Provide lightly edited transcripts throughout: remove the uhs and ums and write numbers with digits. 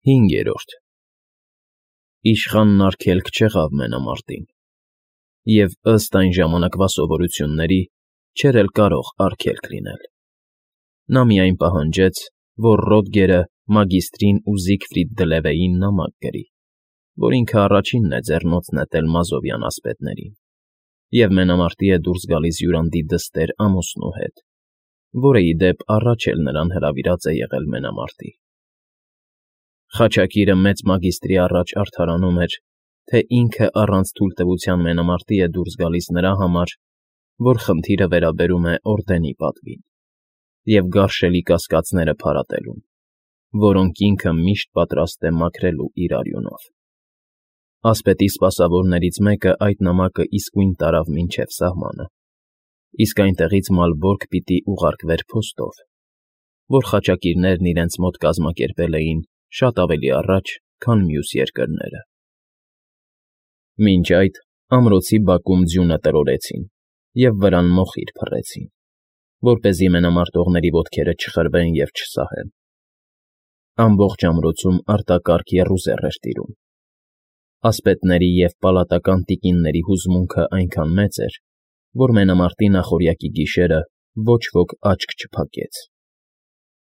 5. Իշխանն արգելք չեղավ մենամարտին, և ըստ այն ժամանակվա սովորությունների չէր էլ կարող արգելք լինել. նա միայն պահանջեց, որ Ռոդգերը մագիստրին ու Զիգֆրիդ Դլևեին նամակ գրի, որ ինքը առաջինն է ձեռնոց նետել մազովյան ասպետներին, և մենամարտի է դուրս գալիս յուրանդի դստեր ամուսնու հետ, որը, ի դեպ, առաջ էլ նրան հրավիրած է եղել մենամարտի։ Խաչակիրը մեծ մագիստրի առաջ արդարանում էր, թե ինքը առանց թույլտվության մենամարտի է դուրս գալիս նրա համար, որ խնդիրը վերաբերում է օրդենի պատվին և գարշելի կասկածները փարատելուն, որոնք ինքը միշտ պատրաստ է մաքրելու իր արյունով։ Ասպետի սպասավորներից մեկը այդ նամակը իսկույն տարավ մինչև սահմանը, իսկ այնտեղից Մալբորգ պիտի ուղարկվեր փոստով, որ խաչակիրներն իրենց մոտ կազմակերպել էին շատ ավելի առաջ, քան մյուս երկրները։ Մինչ այդ ամրոցի բակում ձյունը տրորեցին և վրան մոխիր փռեցին, որպեսզի մենամարտողների ոտքերը չխրվեն և չսահեն։ Ամբողջ ամրոցում արտակարգ եռուզեռ էր տիրում։ Ասպետների և պալատական տիկինների հուզմունքը այնքան մեծ էր, որ մենամարտի նախօրյակի գիշերը ոչ ոք աչք չփակեց։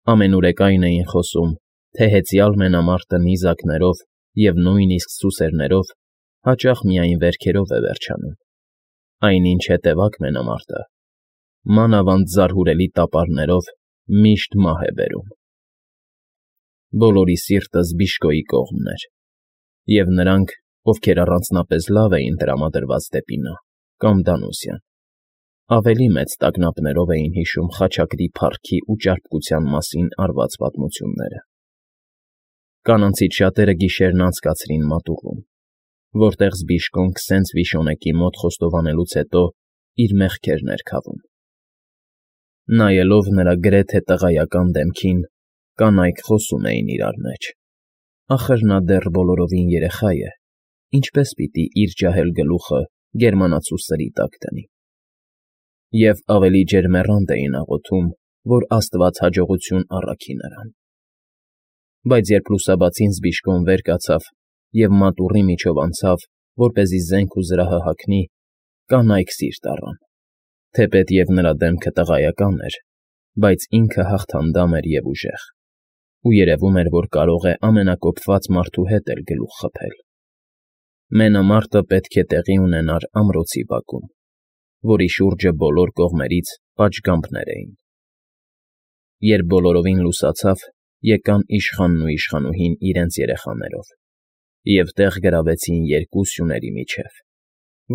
Ամենուրեք այն էին խոսում, թե հեծյալ մենամարտը նիզակներով և նույնիսկ սուսերներով հաճախ միայն վերքերով է վերջանում, այնինչ հետևակ մենամարտը, մանավանդ զարհուրելի տապարներով, միշտ մահ է բերում։ Բոլորի սիրտը Զբիշկոյի կողմն էր, և նրանք, ովքեր առանձնապես լավ էին տրամադրված դեպի նա, կամ Դանուսյան, ավելի մեծ տագնապներով էին հիշում խաչակրի փառքի ու ճարպկության մասին արված պատմությունները։ Կանանցից շատերը գիշերն անցկացրին մատուռում, որտեղ Զբիշկոն քսենց վիշոնեկի մոտ խոստովանելուց հետո իր մեղքերն էր քավում։ Նայելով նրա գրեթե տղայական դեմքին, կանայք խոսում էին իրար մեջ. ախր նա դեռ բոլորովին երեխա է, ինչպես պիտի իր ջահել գլուխը գերմանացու սրի տակ դնի։ Եվ ավելի ջերմեռանդ էին աղոթում, որ Աստված հաջողություն առաքի նրան։ Բայց երբ լուսաբացին Զբիշկոն վեր կացավ և մատուռի միջով անցավ, որպեսզի զենք ու զրահը հագնի, կանայք սիրտ առան, թեպետև նրա դեմքը տղայական էր, բայց ինքը հաղթանդամ էր և ուժեղ, ու երևում էր, որ կարող է ամենակոփված մարդու հետ էլ գլուխ խփել։ Մենամարտը պետք է տեղի ունենար ամրոցի բակում, որի շուրջը բոլոր կողմերից պատշգամբներ էին։ Երբ բոլորովին լուսացավ, եկան իշխանն ու իշխանուհին իրենց երեխաներով և տեղ գրավեցին երկու սյուների միջև,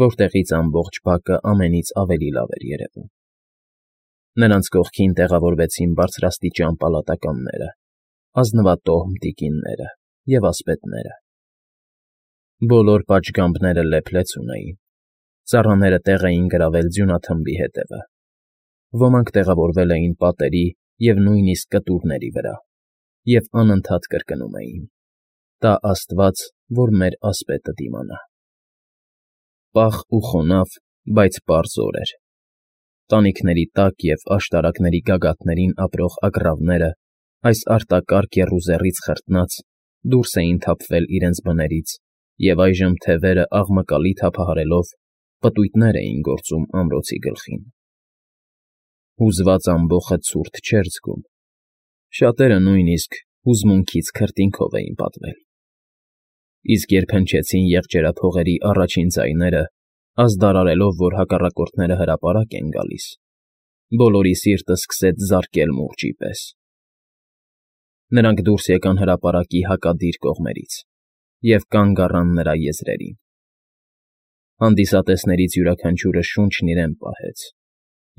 որտեղից ամբողջ բակը ամենից ավելի լավ էր երևում։ Նրանց կողքին տեղավորվեցին բարձրաստիճան պալատականները, ազնվատոհմ տիկինները և ասպետները։ Բոլոր պատշգամբները լեփլեց ունեին, ծառաները տեղ էին գրավել ձյունաթմբի հետևը, ոմանք տեղավորվել էին պատերի և նույնիսկ կտուրների վրա և անընդհատ կրկնում էին. «Տա Աստված, որ մեր ասպետը դիմանա»։ Պաղ ու խոնավ, բայց պարզ օր էր։ Տանիքների տակ և աշտարակների գագաթներին ապրող ագռավները, այս արտակարգ եռուզեռից խրտնած, դուրս էին թափվել իրենց բներից և այժմ թևերը աղմկալի թափահարելով պտույտներ էին գործում ամրոցի գլխին։ Հուզված ամբոխը ցուրտ չէր զգում, շատերը նույնիսկ հուզմունքից քրտինքով էին պատվել։ Իսկ երբ հնչեցին եղջերափողերի առաջին ձայները, ազդարարելով, որ հակառակորդները հրապարակ են գալիս, բոլորի սիրտը սկսեց զարկել մուրճի պես։ Նրանք դուրս եկան հրապարակի հակադիր կողմերից և կանգ առան նրա եզրերին։ Հանդիսատեսներից յուրաքանչյուրը շունչն իրեն պահեց,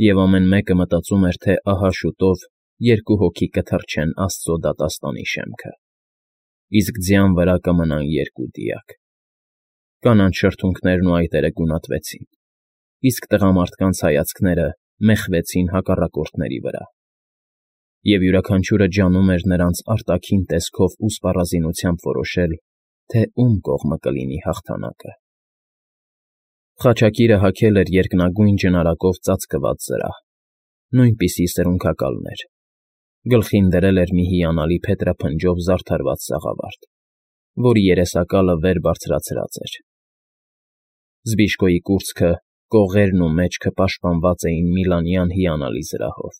և ամեն մեկը մտածում էր, թե ահա շուտով երկու հոգի կթռչեն Աստծո դատաստանի շեմքը, իսկ ձյան վրա կմնան երկու դիակ։ Կանանց շրթունքներն ու այտերը գունատվեցին, իսկ տղամարդկանց հայացքները մեխվեցին հակառակորդների վրա, և յուրաքանչյուրը ջանում էր նրանց արտաքին տեսքով ու սպառազինությամբ որոշել, թե ում կողմը կլինի հաղթանակը։ Խաչակիրը հագել էր երկնագույն ջնարակով ծածկված զրահ, նույնպիսի սրունքակալներ, Գլխին դրել էր մի հիանալի փետրափնջով զարդարված սաղավարտ, որի երեսակալը վեր բարձրացրած էր։ Զբիշկոյի կուրծքը, կողերն ու մեջքը պաշտպանված էին միլանյան հիանալի զրահով։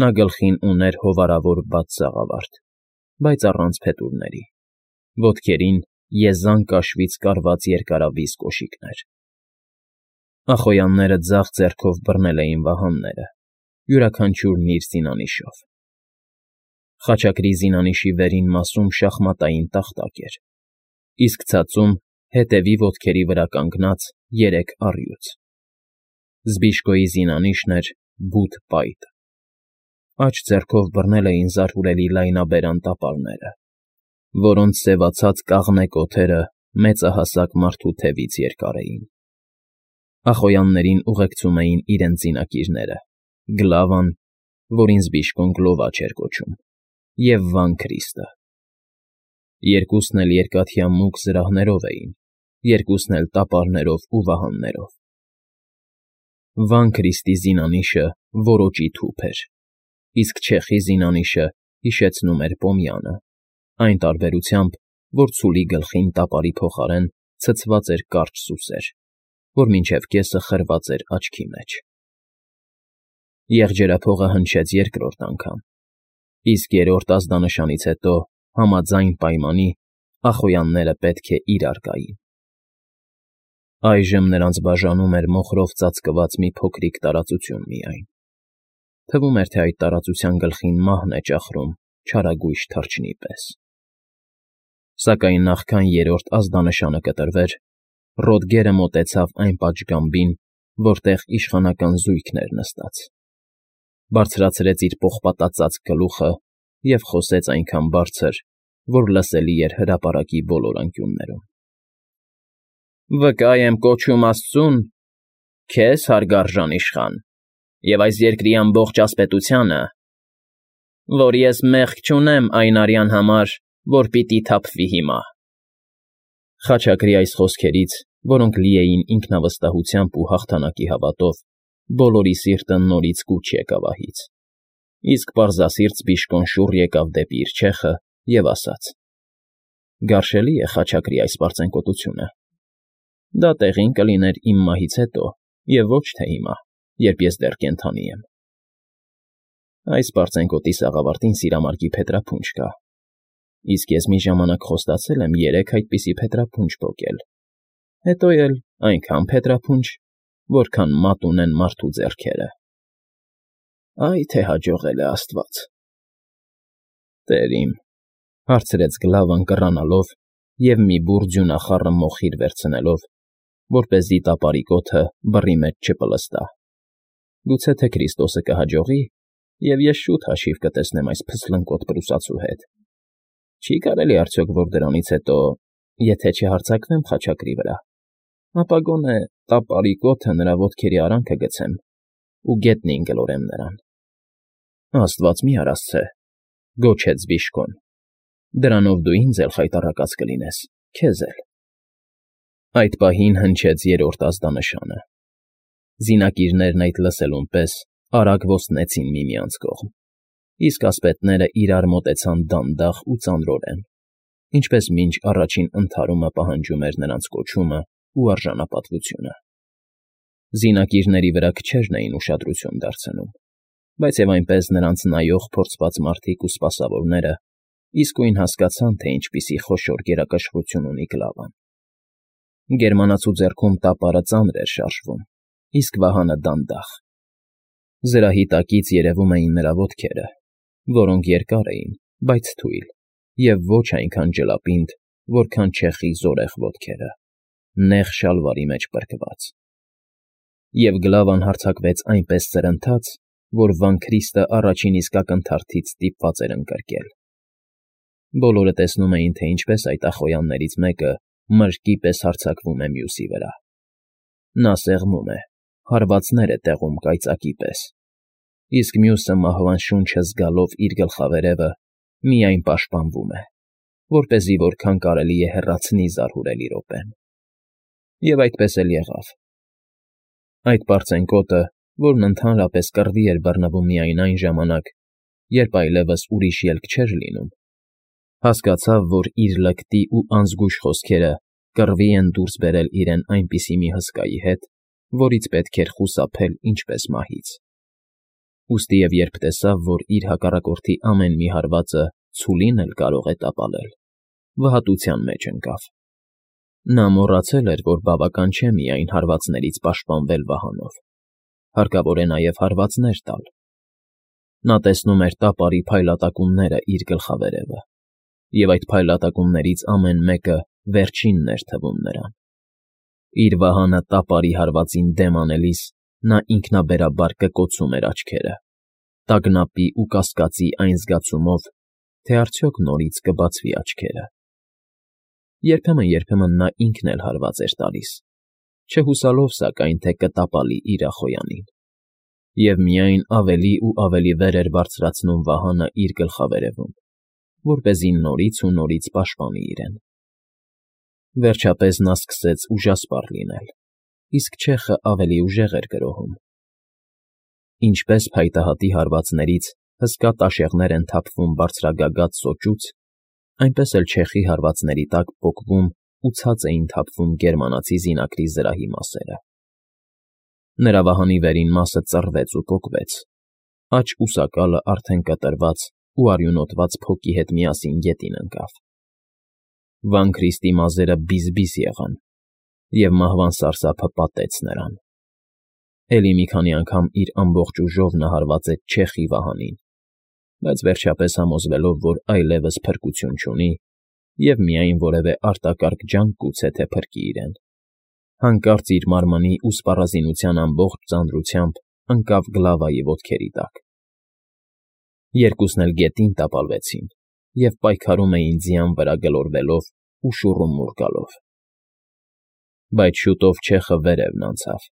Նա գլխին ուներ հովարավոր բաց սաղավարտ, բայց առանց փետուրների, ոտքերին եզան կաշվից կարված երկարավիզ կոշիկներ։ Ախոյանները ձախ ձեռքով բռնել էին վահանները, յուրաքանչյուրն իր զինանիշով։ Խաչակրի զինանիշի վերին մասում շախմատային տախտակ էր, իսկ ցածում, հետևի ոտքերի վրա կանգնած, 3 առյուծ։ Զբիշկոյի զինանիշն էր բութ պայտ։ Աջ ձեռքով բռնել էին զարհուրելի լայնաբերան տապարները, որոնց սևացած կաղնե կոթերը մեծահասակ մարդու թևից երկար էին։ Ախոյաններին ուղեկցում էին իրենց զինակիրները՝ Գլավան, որին Զբիշկոն Գլովաչ էր կոչում, և Վան Քրիստը։ Երկուսն էլ երկաթյա մուգ զրահներով էին, երկուսն էլ տապարներով ու վահաններով։ Վան Քրիստի զինանիշը որոճի թուփ էր, իսկ չեխի զինանիշը հիշեցնում էր պոմյանը, այն տարբերությամբ, որ ցուլի գլխին տապարի փոխարեն ցցված էր կարճ սուսեր, որ մինչև կեսը խրված էր աչքի մեջ։ Եղջերափողը հնչեց երկրորդ անգամ, իսկ երրորդ ազդանշանից հետո, համաձայն պայմանի, ախոյանները պետք է իրար գային։ Այժմ նրանց բաժանում էր մոխրով ծածկված մի փոքրիկ տարածություն միայն։ Թվում էր, թե այդ տարածության գլխին մահն է ճախրում չարագույժ թռչնի պես։ Սակայն նախքան երրորդ ազդանշանը կտրվեր, Ռոդգերը մոտեցավ այն պատշգամբին, որտեղ իշխանական զույգն էր նստած, բարձրացրեց իր պողպատածածկ գլուխը և խոսեց այնքան բարձր, որ լսելի էր հրապարակի բոլոր անկյուններում։ «Վկա եմ կոչում Աստծուն, քեզ, հարգարժան իշխան, և այս երկրի ամբողջ ասպետությանը, որ ես մեղք չունեմ այն արյան համար, որ պիտի թափվի հիմա»։ Խաչակրի այս խոսքերից, որոնք լի էին ինքնավստահությամբ ու հաղթանակի հավատով, բոլորի սիրտը նորից կուչ եկավ ահից, իսկ պարզասիրտ Զբիշկոն շուռ եկավ դեպի իր չեխը և ասաց. «Գարշելի է խաչակրի այս պարծենկոտությունը։ Դա տեղին կլիներ իմ մահից հետո և ոչ թե հիմա, երբ ես դեռ կենդանի եմ։ Այս պարծենկոտի սաղավարտին սիրամարգի փետրափունջ կա, իսկ ես մի ժամանակ խոստացել եմ 3 այդպիսի փետրափունջ պոկել, հետո էլ այնքան փետրափունջ, որքան մատ ունեն մարդու ձեռքերը։ Այ թե հաջողել է Աստված»։ «Տեր իմ,֊ հարցրեց Գլավան կռանալով և մի բուռ ձյունախառը մոխիր վերցնելով, որպեսզի տապարի կոթը բռի մեջ չպլստա,֊ գուցե թե Քրիստոսը կհաջողի, և ես շուտ հաշիվ կտեսնեմ այս փսլնկոտ պրուսացու հետ։ Չի՞ կարելի արդյոք, որ դրանից հետո, եթե չհարձակվեմ խաչակրի վրա, ապա գոնե տապարի կոթը նրա ոտքերի արանքը գցեմ ու գետնին գլորեմ նրան»։ «Աստված մի արասցե,֊ գոչեց Զբիշկոն,֊ դրանով դու ինձ էլ խայտառակած կլինես, քեզ էլ»։ Այդ պահին հնչեց երրորդ ազդանշանը։ Զինակիրներն այդ լսելուն պես արագ ոստնեցին միմյանց կողմ, իսկ ասպետները իրար մոտեցան դանդաղ ու ծանրորեն, ինչպես մինչ առաջին ընդհարումը պահանջում էր նրանց կոչումը ու արժանապատվությունը։ Զինակիրների վրա քչերն էին ուշադրություն դարձնում, բայց և այնպես նրանց նայող փորձված մարդիկ ու սպասավորները իսկույն հասկացան, թե ինչպիսի խոշոր գերակշռություն ունի Գլավան։ Գերմանացու ձեռքում տապարը ծանր էր շարժվում, իսկ վահանը դանդաղ։ Զրահի տակից երևում էին նրա ոտքերը, որոնք երկար էին, բայց թույլ, և ոչ այնքան ջլապինդ, որքան չեխի զորեղ ոտքերը, նեղ շալվարի մեջ պրկված։ Եվ Գլավան հարձակվեց այնպես սրընթաց, որ Վան Քրիստը առաջին իսկ ակնթարթից ստիպված էր ընկրկել։ Բոլորը տեսնում էին, թե ինչպես այդ ախոյաններից մեկը մրրկի պես հարձակվում է մյուսի վրա։ Նա սեղմում է, հարվածներ է տեղում կայծակի պես, իսկ մյուսը մահվան շունչը զգալով իր գլխավերևը միայն պաշտպանվում է, որպեսզի որքան կարելի է հեռացնի զարհուրելի րոպեն։ Եվ այդպես էլ եղավ։ Այդ պարծենկոտը, որն ընդհանրապես կռվի էր բռնվում միայն այն ժամանակ, երբ այլևս ուրիշ ելք չէր լինում, հասկացավ, որ իր լկտի ու անզգույշ խոսքերը կռվի են դուրս բերել իրեն այնպիսի մի հսկայի հետ, որից պետք էր խուսափել ինչպես մահից։ Ուստի և երբ տեսավ, որ իր հակառակորդի ամեն մի հարվածը ցուլին էլ կարող է տապալել, վհատության մեջ ընկավ։ Նա մոռացել էր, որ բավական չէ միայն հարվածներից պաշտպանվել վահանով, հարկավոր է նաև հարվածներ տալ։ Նա տեսնում էր տապարի փայլատակումները իր գլխավերևը, և այդ փայլատակումներից ամեն մեկը վերջինն էր թվում նրան։ Իր վահանը տապարի հարվածին դեմ անելիս նա ինքնաբերաբար կկոցում էր աչքերը, տագնապի ու կասկածի այն զգացումով, թե արդյոք նորից կբացվի աչքերը։ Երբեմն նա ինքն էլ հարված էր տալիս, չհուսալով սակայն, թե կտապալի իր ախոյանին, և միայն ավելի ու ավելի վեր էր բարձրացնում վահանը իր գլխավերևում, որպեսզի նորից ու նորից պաշտպանի իրեն։ Վերջապես նա սկսեց ուժասպառ լինել, իսկ չեխը ավելի ուժեղ էր գրոհում։ Ինչպես փայտահատի հարվածներից հսկա տաշեղներ են թափվում բարձրագագաթ սոճուց, այնպես էլ չեխի հարվածների տակ պոկվում ու ցած էին թափվում գերմանացի զինակրի զրահի մասերը։ Նրա վահանի վերին մասը ծռվեց ու պոկվեց, աջ ուսակալը արդեն կտրված ու արյունոտված փոկի հետ միասին գետին ընկավ։ Վան Քրիստի մազերը բիզ-բիզ եղան, և մահվան սարսափը պատեց նրան։ Էլի մի քանի անգամ իր ամբողջ ուժով նա հարվածեց չեխի վահանին, բայց վերջապես համոզվելով, որ այլևս փրկություն չունի, և միայն որևէ արտակարգ ջանք գուցե թե փրկի իրեն, հանկարծ իր մարմնի ու սպառազինության ամբողջ ծանրությամբ ընկավ Գլավայի ոտքերի տակ։ Երկուսն էլ գետին տապալվեցին և պայքարում էին ձիան վրա գլորվելով ու շուռումուռ գալով։ Բայց շուտով չեխը վերևն անցավ։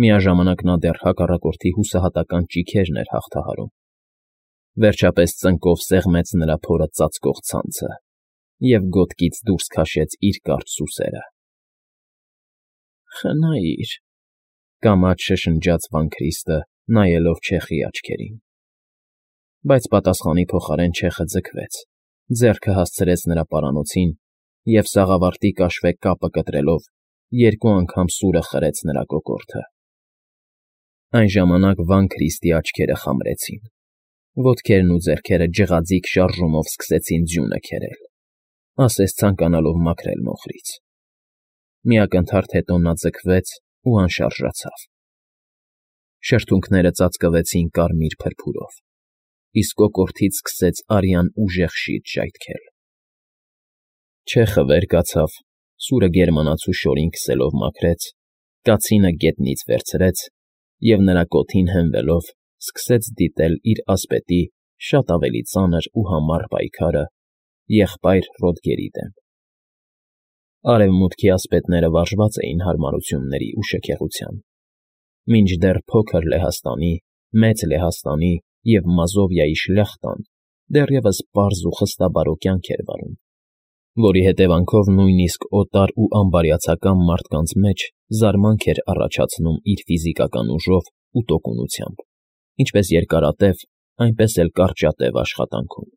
Միաժամանակ նա դեռ հակառակորդի հուսահատական ճիգերն էր հաղթահարում։ Վերջապես ծնկով սեղմեց նրա փորը ծածկող ցանցը և գոտկից դուրս քաշեց իր կարճ սուսերը։ «Խնայիր», կամաց շշնջաց Վան Քրիստը, նայելով չեխի աչքերին։ Բայց պատասխանի փոխարեն չեխը ձգվեց, ձեռքը հասցրեց նրա պարանոցին և սաղավարտի կաշվե կապը կտրելով երկու անգամ սուրը խրեց նրա կոկորդը։ Այն ժամանակ Վան Քրիստի աչքերը խամրեցին, ոտքերն ու ձեռքերը ջղաձիգ շարժումով սկսեցին ձյունը քերել, ասես ցանկանալով մաքրել մոխրից։ Մի ակնթարթ հետո նա ձգվեց ու անշարժացավ։ Շրթունքները ծածկվեցին կարմիր փրփուրով, իսկ կոկորդից սկսեց արյան ուժեղ շիթ ժայթքել։ Չեխը վեր կացավ, սուրը գերմանացու շորին քսելով մաքրեց, կացինը գետնից վերցրեց և նրա կոթին հենվելով սկսեց դիտել իր ասպետի շատ ավելի ծանր ու համառ պայքարը եղբայր Ռոդգերի դեմ։ Արևմուտքի ասպետները վարժված էին հարմարությունների ու շքեղության, մինչդեռ փոքր Լեհաստանի, մեծ Լեհաստանի և Մազովիայի շլյախտան դեռևս պարզ ու խստաբարո կյանք էր վարում, որի հետևանքով նույնիսկ օտար ու անբարյացակամ մարդկանց մեջ զարմանք էր առաջացնում իր ֆիզիկական ուժով ու տոկունությամբ, ինչպես երկարատև, այնպես էլ կարճատև աշխատանքում։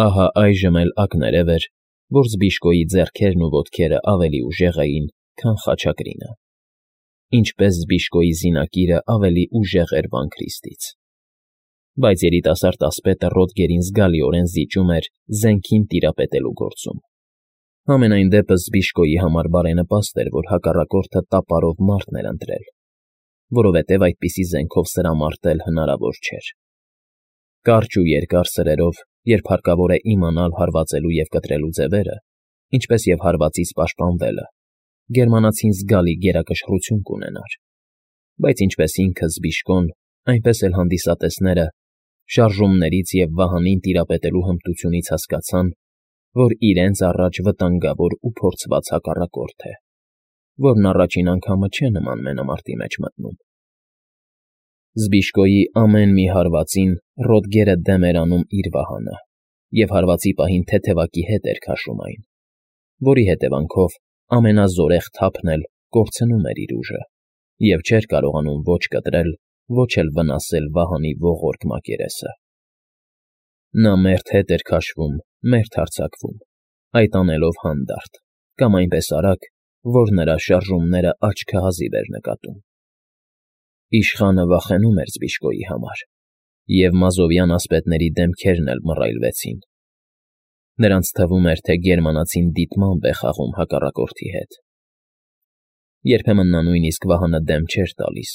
Ահա այժմ էլ ակներև էր, որ Զբիշկոյի ձեռքերն ու ոտքերը ավելի ուժեղ էին, քան խաչակրինը, ինչպես Զբիշկոյի զինակիրը ավելի ուժեղ էր Վան Քրիստից։ Բայց երիտասարդ ասպետը Ռոդգերին զգալիորեն զիջում էր զենքին տիրապետելու գործում։ Համենայն դեպս Զբիշկոյի համար բարենպաստ էր, որ հակառակորդը տապարով մարդ էր ընտրել, որովհետև այդպիսի զենքով սրամարտել հնարավոր չէր։ Կարճ ու երկար սրերով, երբ հարկավոր է իմանալ հարվածելու և կտրելու ձևերը, ինչպես և հարվածից պաշտպանվելը, գերմանացին զգալի գերակշռություն կունենար, բայց ինչպես ինքը Զբիշկոն, այնպես էլ հանդիսատեսները շարժումներից և վահանին տիրապետելու հմտությունից հասկացան, որ իրենց առաջ վտանգավոր ու փորձված հակառակորդ է, որն առաջին անգամը չէ նման մենամարտի մեջ մտնում։ Զբիշկոյի ամեն մի հարվածին Ռոդգերը դեմ էր անում իր վահանը և հարվածի պահին թեթևակի հետ էր քաշում այն, որի հետևանքով ամենազորեղ թափն էլ կորցնում էր իր ուժը և չէր կարողանում ոչ կտրել, ոչ էլ վնասել Վահանի ողորկ մակերեսը։ Նա մերթ հետ էր քաշվում, մերթ հարձակվում, այդ անելով հանդարտ, կամ այնպես արագ, որ նրա շարժումները աչքը հազիվ էր նկատում։ Իշխանը վախենում էր Զբիշկոյի համար, և մազովյան ասպետների դեմքերն էլ մռայլվեցին։ Նրանց թվում էր, թե գերմանացին դիտմամբ է խաղում հակառակորդի հետ։ Երբեմն նա նույնիսկ Վահանը դեմ չէր տալիս,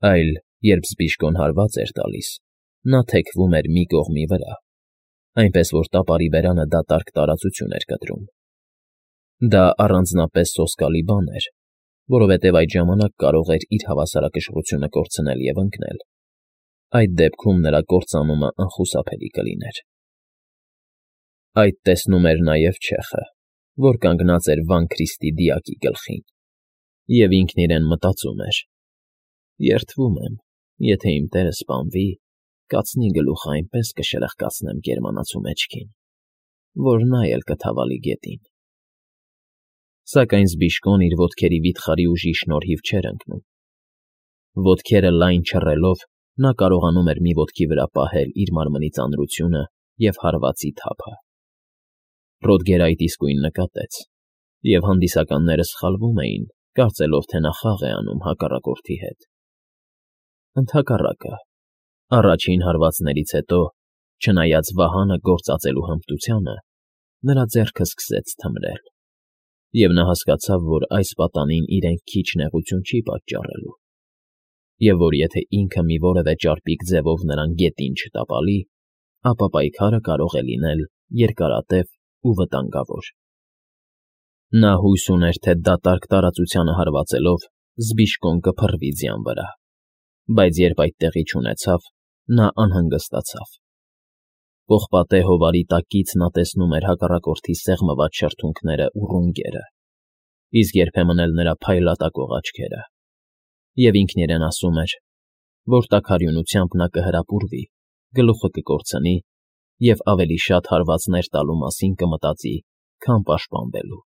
այլ, երբ Զբիշկոն հարված էր տալիս, նա թեքվում էր մի կողմի վրա, այնպես որ տապարի բերանը դատարկ տարածություն էր կտրում։ Դա առանձնապես սոսկալի բան էր, որովհետև այդ ժամանակ կարող էր իր հավասարակշռությունը կորցնել և ընկնել։ Այդ դեպքում նրա կործանումը անխուսափելի կլիներ։ Այդ տեսնում էր նաև չեխը, որ կանգնած էր Վան Քրիստի դիակի գլխին, և ինքն իրեն մտածում էր. «Երդվում եմ, եթե իմ տերը սպանվի, կացնի գլուխը այնպես կշրխկացնեմ գերմանացու մեջքին, որ նա էլ կթավալի գետին»։ Սակայն Զբիշկոն իր ոտքերի վիթխարի ուժի շնորհիվ չէր ընկնում։ Ոտքերը լայն չռելով՝ նա կարողանում էր մի ոտքի վրա պահել իր մարմնի ծանրությունը և հարվածի թափը։ Ռոդգերը այդ իսկույն նկատեց, և հանդիսականները սխալվում էին, կարծելով, թե նա խաղ է անում հակառակորդի հետ։ Ընդհակառակը, առաջին հարվածներից հետո, չնայած Վահանը գործածելու հմտությանը, նրա ձեռքը սկսեց թմրել, և նա հասկացավ, որ այս պատանին իրեն քիչ նեղություն չի պատճառելու, և որ եթե ինքը մի որևէ ճարպիկ ձևով նրան գետին չտապալի, ապա պայքարը կարող է լինել երկարատև ու վտանգավոր։ Նա հույս ուներ, թե դատարկ տարածությանը հարվածելով Զբիշկոն կփռվի ձյան վրա, բայց երբ այդ տեղի չունեցավ, նա անհանգստացավ։ Պողպատե հովարի տակից նա տեսնում էր հակառակորդի սեղմված շրթունքներն ու ռունգերը, իսկ երբեմն էլ նրա փայլատակող աչքերը, և ինքն իրեն ասում էր, որ տաքարյունությամբ նա կհրապուրվի, գլուխը կկորցնի և ավելի շատ հարվածներ տալու մասին կմտածի, քան պաշտպանվելու։